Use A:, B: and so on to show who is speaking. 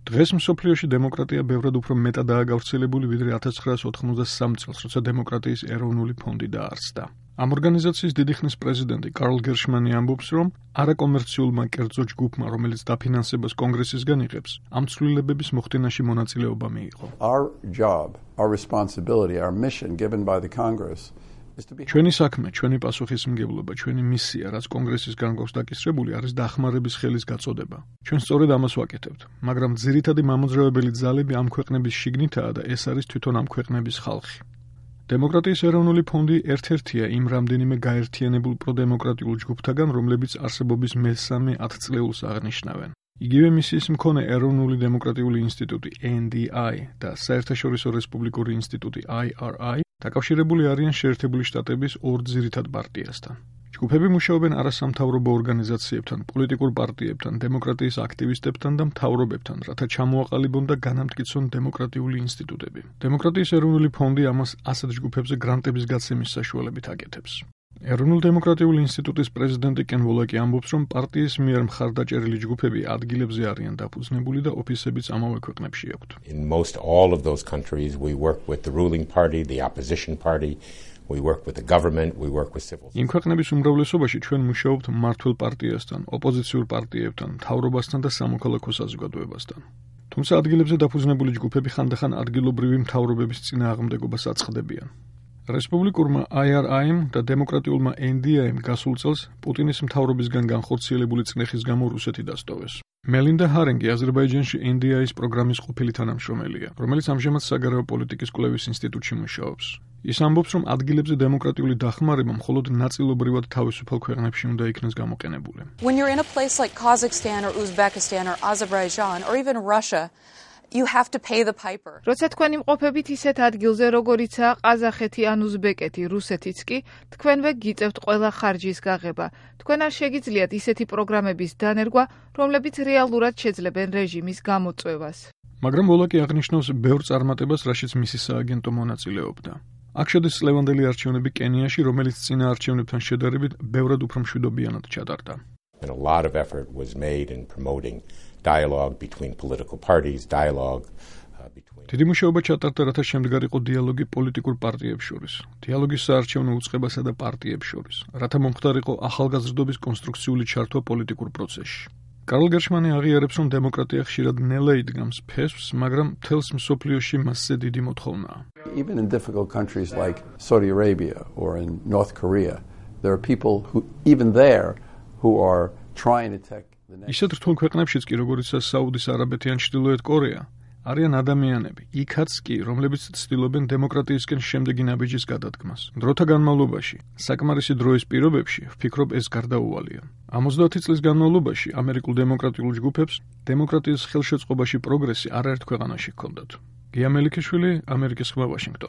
A: დღეს მსოფლიოში დემოკრატია ბევრად უფრო მეტადაა გავრცელებული ვიდრე 1993 წელს, როცა დემოკრატიის ეროვნული ფონდი დაარსდა. Ამ ორგანიზაციის დიდი ხნის პრეზიდენტი კარლ გერშმანი ამბობს, რომ არაკომერციულმა კერძო ჯგუფმა, რომელიც დაფინანსებას კონგრესისგან იღებს, ამ ცვლილებების მოხდენაში მონაწილეობა მიიღო.
B: Our job, our responsibility, our mission given by the Congress
A: ჩვენი საქმე, ჩვენი პასუხისმგებლობა, ჩვენი მისია, რაც კონგრესისგან გვაქვს დაკისრებული, არის დახმარების ხელის გაწოდება. ჩვენ სწორედ ამას ვაკეთებთ, მაგრამ ძირითადი მამოძრავებელი ძალები ამ ქვეყნების შიგნითაა და ეს არის თვითონ ამ ქვეყნების ხალხი. დემოკრატიის ეროვნული ფონდი ერთ-ერთია იმ რამდენიმე გაერთიანებულ პროდემოკრატიულ ჯგუფთაგან, რომლებიც არსებობის მესამე 10 წლეულს აღნიშნავენ. იგივე მისიის მქონე ეროვნული დემოკრატიული ინსტიტუტი NDI და საერთაშორისო რესპუბლიკური ინსტიტუტი IRI დაკავშირებული არიან შეერთებული შტატების ორ ძირითად პარტიასთან. ჯგუფები მუშაობენ არასამთავრობო ორგანიზაციებთან, პოლიტიკურ პარტიებთან, დემოკრატიის აქტივისტებთან და მთავრობებთან, რათა ჩამოაყალიბონ და განამტკიცონ დემოკრატიული ინსტიტუტები. დემოკრატიის ეროვნული ფონდი ამას ასეთ ჯგუფებზე გრანტების გაცემის საშუალებით აკეთებს. ეროვნულ დემოკრატიული ინსტიტუტის პრეზიდენტი კენ ვოლაკი ამბობს, რომ პარტიის მიერ მხარდაჭერილი ჯგუფები ადგილებზე არიან დაფუძნებული და ოფისებიც ამავე ქვეყნებში აქვთ.
C: In most all of those countries we work with the ruling party, the opposition party, we work with the government, we work with civil.
A: იმ ქვეყნების უმრავლესობაში ჩვენ მუშაობთ მმართველ პარტიასთან, ოპოზიციურ პარტიებთან, მთავრობასთან და სამოქალაქო საზოგადოებასთან. თუმცა ადგილებზე დაფუძნებული ჯგუფები ხანდახან ადგილობრივი მთავრობების წინააღმდეგობას აწყდებიან. რესპუბლიკურმა IRI-მ და დემოკრატიულმა NDI-მ გასულ წელს პუტინის მთავრობისგან განხორციელებული წნეხის გამო რუსეთი დასტოვეს. მელინდა ჰარენგი აზერბაიჯანში NDI-ის პროგრამის ყოფილი თანამშრომელია, რომელიც ამჟამად საგარეო პოლიტიკის კვლევის ინსტიტუტში მუშაობს. ის ამბობს, რომ ადგილებზე დემოკრატიული დახმარება მხოლოდ ნაწილობრივად თავისუფალ ქვეყნებში უნდა იქნეს გამოყენებული.
D: When you're in a place like Kazakhstan or Uzbekistan or Azerbaijan or even Russia, you have to pay the piper.
E: როცა თქვენ იმყოფებით ისეთ ადგილზე, როგორიცაა ყაზახეთი ან უზბეკეთი, რუსეთიც კი, თქვენვე გიწევთ ყველა ხარჯის გაღება. თქვენ არ შეგიძლიათ ისეთი პროგრამების დანერგვა, რომლებიც რეალურად შეძლებენ რეჟიმის გამოწვევას.
A: მაგრამ ვოლაკი აღნიშნავს ბევრ წარმატებას, რაშიც მისი სააგენტო მონაწილეობდა. აქ შედის წლევანდელი არჩევნები კენიაში, რომელიც წინა არჩევნებთან შედარებით ბევრად უფრო მშვიდობიანად ჩატარდა.
C: And a lot of effort was made in promoting dialogue between political parties, dialogue between.
A: დიდი მუშაობა ჩატარდა, რათა შემდგარიყო დიალოგი პოლიტიკურ პარტიებს შორის, დიალოგის საარჩევნო უწყებასა და პარტიებს შორის, რათა მომხდარიყო ახალგაზრდობის კონსტრუქციული ჩართვა პოლიტიკურ პროცესში. კარლ გერშმანი აღიარებს, რომ დემოკრატია ხშირად ნელა იდგამს ფესვს, მაგრამ მთელს მსოფლიოში მასზე დიდი მოთხოვნაა.
B: Even in difficult countries like Saudi Arabia or in North Korea, there are people who even there who are trying to take the next.
A: ისეთ რთულ ქვეყნებშიც კი, როგორიცაა საუდის არაბეთი ან ჩრდილოეთ კორეა, არიან ადამიანები, იქაც კი, რომლებიც ცდილობენ დემოკრატიისკენ შემდეგი ნაბიჯის გადადგმას. დროთა განმავლობაში, საკმარისი დროის პირობებში, ვფიქრობ, ეს გარდაუვალია. 50 წლის განმავლობაში ამერიკულ დემოკრატიულ ჯგუფებს დემოკრატიის ხელშეწყობაში პროგრესი არაერთ ქვეყანაში ჰქონდათ. გია მელიქიშვილი, ამერიკის ხმა, ვაშინგტონი.